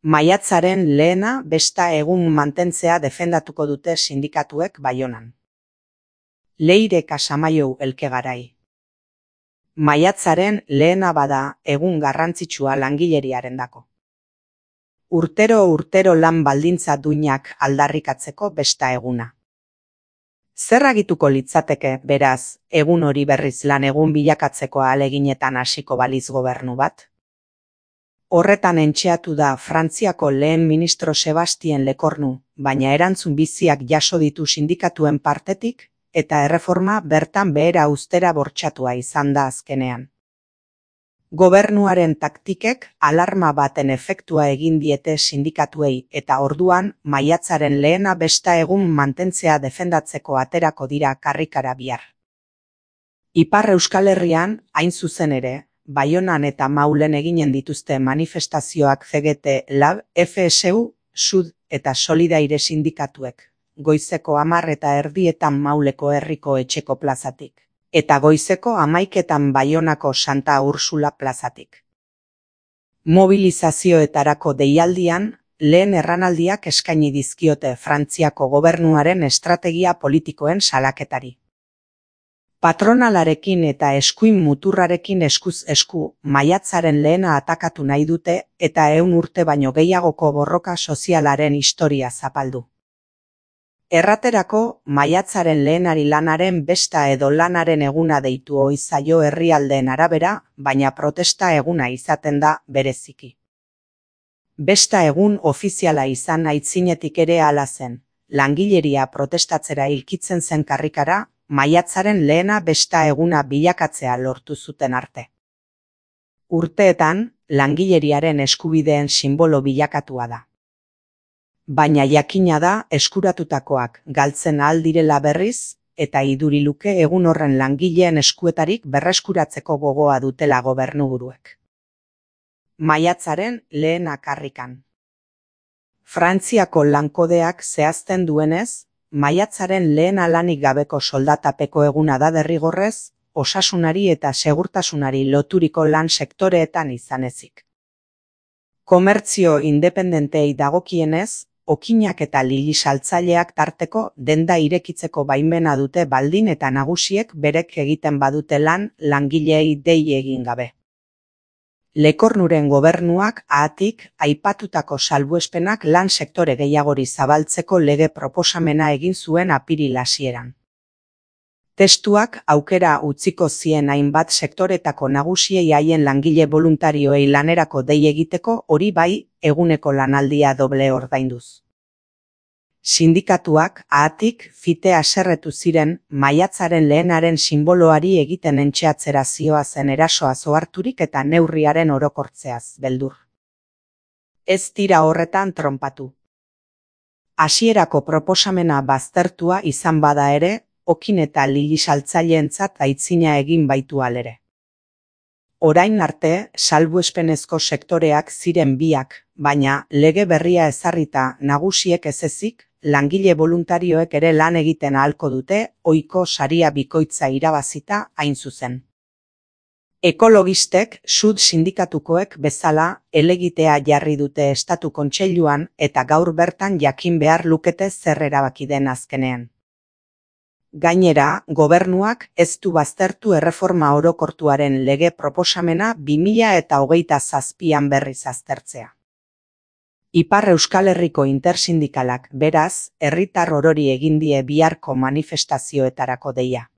Maiatzaren lehena besta egun mantentzea defendatuko dute sindikatuek Baionan. Leire Casamaiu Elkegarai. Maiatzaren lehena bada egun garrantzitsua langileriarendako. Urtero lan baldintza duinak aldarrikatzeko besta eguna. Zer agituko litzateke, beraz, egun hori berriz lan egun bilakatzeko ahaleginetan hasiko baliz gobernu bat? Horretan entxeatu da Frantziako lehen ministro Sebastien Lecornu, baina erantzun biziak jaso ditu sindikatuen partetik, eta erreforma bertan behera uztera bortxatua izan da azkenean. Gobernuaren taktikek alarma baten efektua egin diete sindikatuei eta orduan maiatzaren lehena besta egun mantentzea defendatzeko aterako dira karrikara bihar. Ipar Euskal Herrian, hain zuzen ere, Baionan eta Maulen eginen dituzte manifestazioak CGT, LAB, FSU, SUD eta Solidaire sindikatuek, goizeko 10:30 Mauleko herriko etxeko plazatik, eta goizeko 11:00 Baionako Santa Ursula plazatik. Mobilizazioetarako deialdian, lehen erranaldiak eskaini dizkiote Frantziako gobernuaren estrategia politikoen salaketari. Patronalarekin eta eskuin muturrarekin eskuz esku, maiatzaren lehena atakatu nahi dute eta 100 urte baino gehiagoko borroka sozialaren historia zapaldu. Erraterako, maiatzaren lehenari lanaren besta edo lanaren eguna deitu ohi zaio herrialdeen arabera, baina protesta eguna izaten da bereziki. Besta egun ofiziala izan aitzinetik ere hala zen, langileria protestatzera hilkitzen zen karrikara, maiatzaren lehena besta eguna bilakatzea lortu zuten arte. Urteetan, langileriaren eskubideen sinbolo bilakatua da. Baina jakina da eskuratutakoak galtzen ahal direla berriz, eta iduri luke egun horren langileen eskuetarik berreskuratzeko gogoa dutela gobernuburuek. Maiatzaren lehena karrikan. Frantziako lankodeak zehazten duenez, maiatzaren lehena lanik gabeko soldatapeko eguna da derrigorrez, osasunari eta segurtasunari loturiko lan sektoreetan izan ezik. Komertzio independentei dagokienez, okinak eta lili saltzaileak tarteko denda irekitzeko baimena dute baldin eta nagusiek berek egiten badute lan langileei dei egin gabe. Lecornuren gobernuak ahatik aipatutako salbuespenak lan sektore gehiagori zabaltzeko lege proposamena egin zuen apiril hasieran. Testuak aukera utziko zien hainbat sektoretako nagusiei haien langile voluntarioei lanerako dei egiteko hori bai eguneko lanaldia doble ordainduz. Sindikatuak ahatik fite haserretu ziren maiatzaren lehenaren sinboloari egiten entxeatzera zioazen erasoa oharturik eta neurriaren orokortzeaz beldur. Ez dira horretan tronpatu. Hasierako proposamena baztertua izan bada ere, okin eta lili saltzaileentzat aitzina egin baitu alere. Orain arte, salbuespenezko sektoreak ziren biak, baina lege berria ezarrita nagusiek ez ezik, langile voluntarioek ere lan egiten ahalko dute, ohiko saria bikoitza irabazita hain zuzen. Ekologistek, SUD sindikatukoek bezala, helegitea jarri dute Estatu Kontseiluan eta gaur bertan jakin behar lukete zer erabaki den azkenean. Gainera, gobernuak ez du baztertu erreforma orokortuaren lege proposamena 2027an berriz aztertzea. Ipar Euskal Herriko intersindikalak beraz, herritar orori egin die biharko manifestazioetarako deia.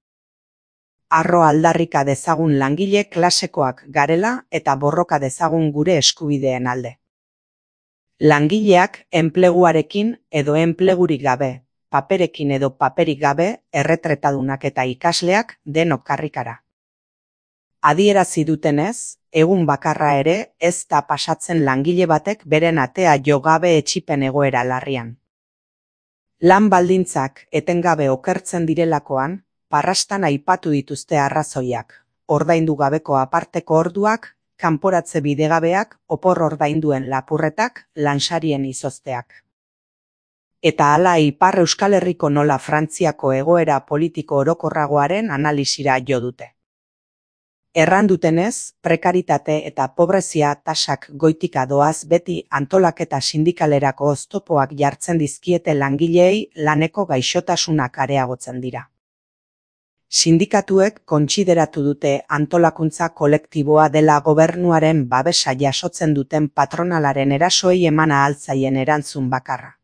Harro aldarrika dezagun langile klasekoak garela eta borroka dezagun gure eskubideen alde. Langileak enpleguarekin edo enplegurik gabe, paperekin edo paperik gabe, erretretadunak eta ikasleak denok karrikara. Adierazi dutenez, egun bakarra ere ez da pasatzen langile batek beren atea jo gabe etsipen egoera larrian. Lan baldintzak etengabe okertzen direlakoan, parrastan aipatu dituzte arrazoiak, ordaindu gabeko aparteko orduak, kanporatze bidegabeak, opor ordainduen lapurretak, lansarien izozteak. Eta hala Ipar Euskal Herriko nola Frantziako egoera politiko orokorragoaren analisira jo dute. Erran dutenez, prekaritate eta pobrezia tasak goitika doaz beti antolaketa sindikalerako oztopoak jartzen dizkiete langileei laneko gaixotasunak areagotzen dira. Sindikatuek kontsideratu dute antolakuntza kolektiboa dela gobernuaren babesa jasotzen duten patronalaren erasoei eman ahal zaien erantzun bakarra.